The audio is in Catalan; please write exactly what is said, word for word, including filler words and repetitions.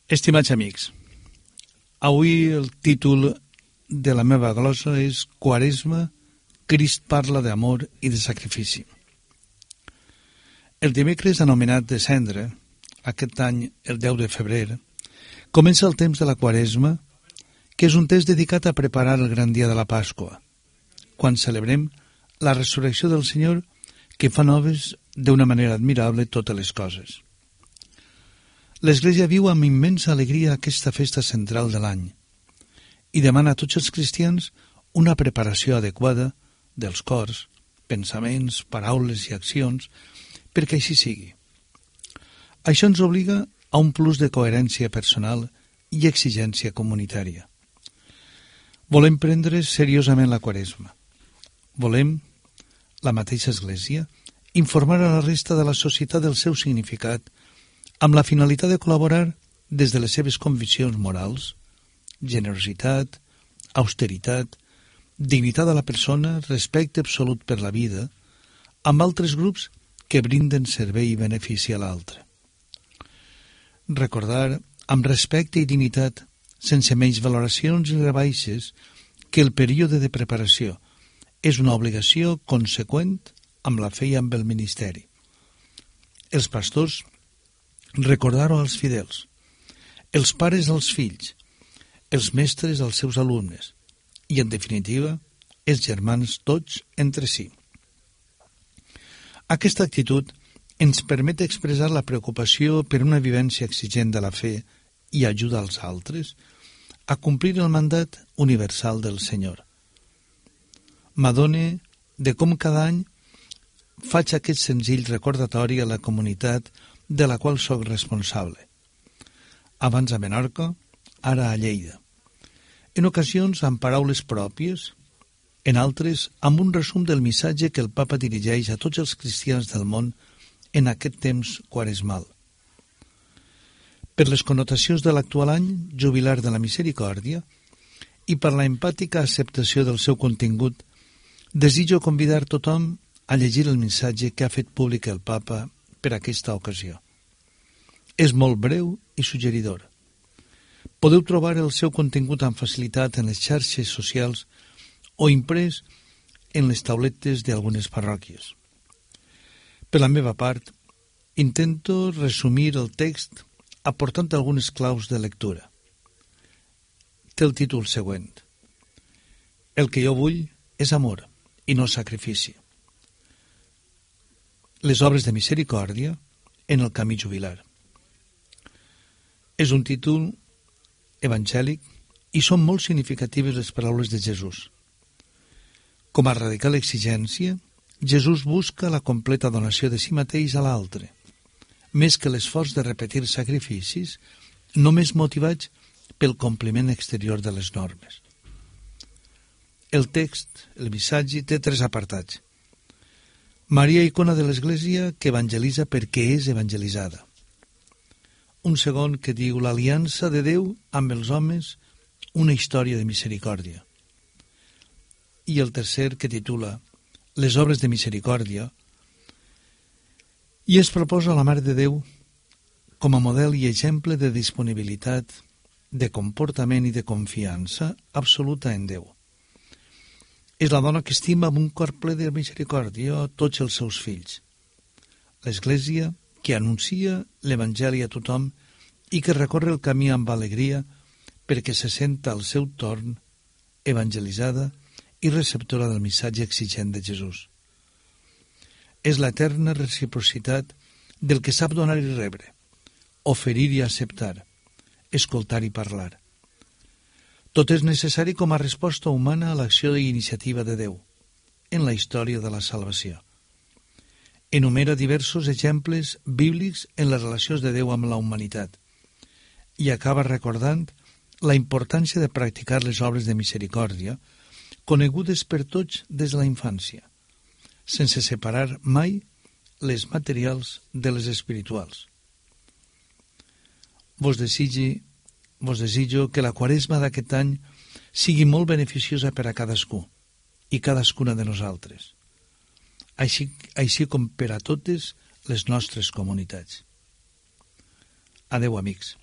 Estimats amics, avui el títol de la meva glosa és Quaresma, Crist parla d'amor i de sacrifici. El dimecres anomenat de Cendre, aquest any el deu de febrer, comença el temps de la Quaresma, que és un temps dedicat a preparar el gran dia de la Pasqua, quan celebrem la resurrecció del Senyor que fa noves d'una manera admirable totes les coses. L'Església viu amb immensa alegria aquesta festa central de l'any i demana a tots els cristians una preparació adequada dels cors, pensaments, paraules i accions perquè així sigui. Això ens obliga a un plus de coherència personal i exigència comunitària. Volem prendre seriosament la Quaresma. Volem, la mateixa Església, informar a la resta de la societat del seu significat amb la finalitat de col·laborar des de les seves conviccions morals, generositat, austeritat, dignitat de la persona, respecte absolut per la vida, amb altres grups que brinden servei i benefici a l'altre. Recordar, amb respecte i dignitat, sense menys valoracions i rebaixes, que el període de preparació és una obligació conseqüent amb la fe i amb el ministeri. Els pastors, recordar-ho als fidels, els pares als fills, els mestres als seus alumnes i, en definitiva, els germans tots entre si. Aquesta actitud ens permet expressar la preocupació per una vivència exigent de la fe i ajuda als altres a complir el mandat universal del Senyor. M'adone de com cada any faig aquest senzill recordatori a la comunitat de la qual sóc responsable. Abans a Menorca, ara a Lleida. En ocasions amb paraules pròpies, en altres amb un resum del missatge que el Papa dirigeix a tots els cristians del món en aquest temps quaresmal. Per les connotacions de l'actual any jubilar de la misericòrdia i per la empàtica acceptació del seu contingut, desitjo convidar tothom a llegir el missatge que ha fet públic el Papa per aquesta ocasió. És molt breu i suggeridor. Podeu trobar el seu contingut amb facilitat en les xarxes socials o imprès en les tauletes d'algunes parròquies. Per la meva part, intento resumir el text aportant algunes claus de lectura. Té el títol següent: El que jo vull és amor i no sacrifici. Les obres de misericòrdia en el camí jubilar. És un títol evangèlic i són molt significatives les paraules de Jesús. Com a radical exigència, Jesús busca la completa donació de si mateix a l'altre, més que l'esforç de repetir sacrificis només motivats pel compliment exterior de les normes. El text, el missatge, té tres apartats. Maria, icona de l'Església, que evangelitza perquè és evangelitzada. Un segon que diu l'aliança de Déu amb els homes, una història de misericòrdia. I el tercer que titula les obres de misericòrdia i es proposa la Mare de Déu com a model i exemple de disponibilitat, de comportament i de confiança absoluta en Déu. És la dona que estima amb un cor ple de misericòrdia tots els seus fills. L'Església que anuncia l'Evangeli a tothom i que recorre el camí amb alegria perquè se senta al seu torn evangelitzada i receptora del missatge exigent de Jesús. És l'eterna reciprocitat del que sap donar i rebre, oferir i acceptar, escoltar i parlar. Tot és necessari com a resposta humana a l'acció i iniciativa de Déu en la història de la salvació. Enumera diversos exemples bíblics en les relacions de Déu amb la humanitat i acaba recordant la importància de practicar les obres de misericòrdia conegudes per tots des de la infància, sense separar mai les materials de les espirituals. Vos desitgi, vos desitjo que la Quaresma d'aquest any sigui molt beneficiosa per a cadascú i cadascuna de nosaltres, així, així com per a totes les nostres comunitats. Adeu, amics.